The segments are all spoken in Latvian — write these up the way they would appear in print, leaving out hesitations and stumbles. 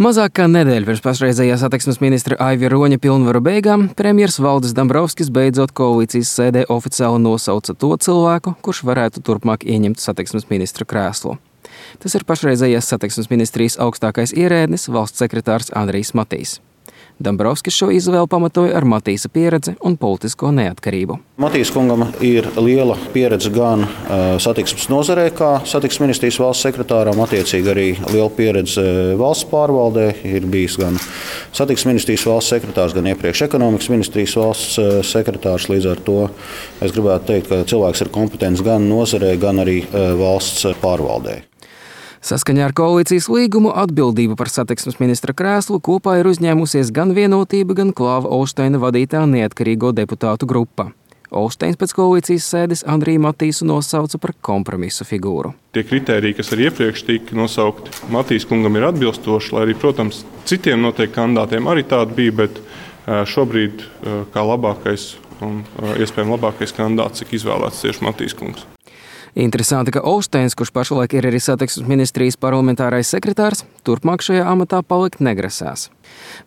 Mazāk kā nedēļa pirms pašreizējā satiksmes ministra Aivi Roņa pilnvaru beigām premjers Valdis Dombrovskis beidzot koalīcijas sēdē oficiāli nosauca to cilvēku, kurš varētu turpmāk ieņemt satiksmes ministra krēslu. Tas ir pašreizējās satiksmes ministrijas augstākais ierēdnis, valsts sekretārs Andrijs Matīs. Dombrovskis šo izvēli pamatoja ar Matīsa pieredzi un politisko neatkarību. Matīs kungam ir liela pieredze gan satiksmes nozarē, kā satiksmes ministrijas valsts sekretāram, attiecīgi arī liela pieredze valsts pārvaldē. Ir bijis gan satiksmes ministrijas valsts sekretārs, gan iepriekš ekonomikas ministrijas valsts sekretārs. Līdz ar to es gribētu teikt, ka cilvēks ir kompetents gan nozarē, gan arī valsts pārvaldē. Saskaņā ar koalīcijas līgumu atbildību par satiksmes ministra krēslu kopā ir uzņēmusies gan Vienotība, gan Klāva Olšteina vadītā neatkarīgo deputātu grupa. Olšteins pēc koalīcijas sēdes Andriju Matīsu nosauca par kompromisu figūru. Tie kritēriji, kas arī iepriekš tika nosaukti, Matīs kungam ir atbilstoši, lai arī, protams, citiem noteikti kandidātiem arī tādi bija, bet šobrīd kā labākais un iespējami labākais kandidāts tika izvēlēts tieši Matīs kungs. Interesanti, ka Olšteins, kurš pašlaik ir arī satiksmes ministrijas parlamentārais sekretārs, turpmāk šajā amatā palikt negrasās.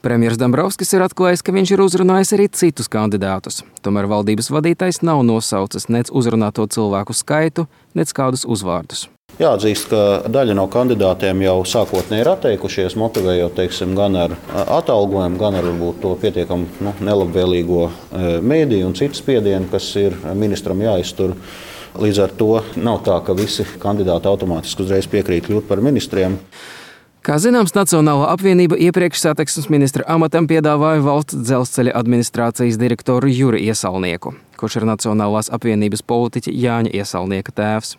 Premjers Dombrovskis ir atklājis, ka viņš ir uzrunājis arī citus kandidātus. Tomēr valdības vadītājs nav nosaucis nec uzrunāto cilvēku skaitu, nec kādus uzvārdus. Jāatzīst, ka daļa no kandidātiem jau sākotnēji ir atteikušies, motivējot gan ar atalgojumu, gan ar varbūt to pietiekami nelabvēlīgo mēdīju un citu spiedienu, kas ir ministram jāiztur. Līdz ar to nav tā, ka visi kandidāti automātiski uzreiz piekrīt kļūt par ministriem. Kā zināms, Nacionālā apvienība iepriekš satiksmes ministra amatam piedāvāja valsts dzelzceļa administrācijas direktoru Juri Iesalnieku, kurš ir Nacionālās apvienības politiķa Jāņa Iesalnieka tēvs.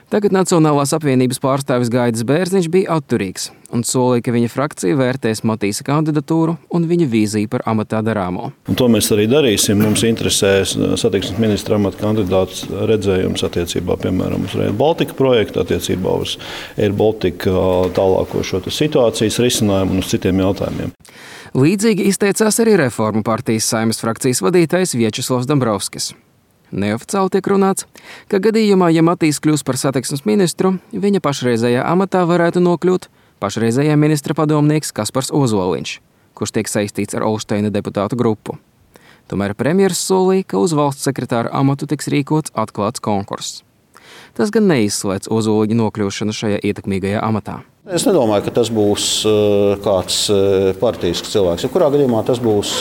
Tagad Nacionālās apvienības pārstāvis Gaidis Bērziņš bija atturīgs un solīja, ka viņa frakcija vērtēs Matīsa kandidatūru un viņa vīziju par amatā darāmo. Un to mēs arī darīsim. Mums interesēs satiksmes ministra amata kandidāts redzējums attiecībā, piemēram, uz Rail Baltica projektu, attiecībā uz Air Baltica tālāko šo situācijas risinājumu un uz citiem jautājumiem. Līdzīgi izteicās arī Reformu partijas Saeimas frakcijas vadītājs Viečeslavs Dombrovskis. Neoficiāli tiek runāts, ka gadījumā, ja Matīs kļūs par satiksmes ministru, viņa pašreizējā amatā varētu nokļūt pašreizējā ministra padomnieks Kaspars Ozoliņš, kurš tiek saistīts ar Olšteina deputātu grupu. Tomēr premjers solīja, ka uz valsts sekretāra amatu tiks rīkots atklāts konkurss. Tas gan neizslēdz Ozoliņa nokļūšanu šajā ietekmīgajā amatā. Es nedomāju, ka tas būs kāds partisks cilvēks. Kurā gadījumā tas būs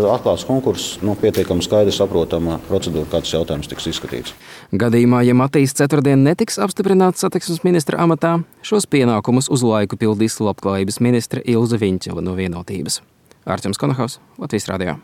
atklāts konkurss, pietiekami skaidri saprotama procedūra, kāds jautājums tiks izskatīts. Gadījumā, ja Matīs ceturtdien netiks apstiprināts satiksmes ministra amatā, šos pienākumus uz laiku pildīs labklājības ministre Ilze Viņķele no Vienotības. Artjoms Konahaus, Latvijas radio.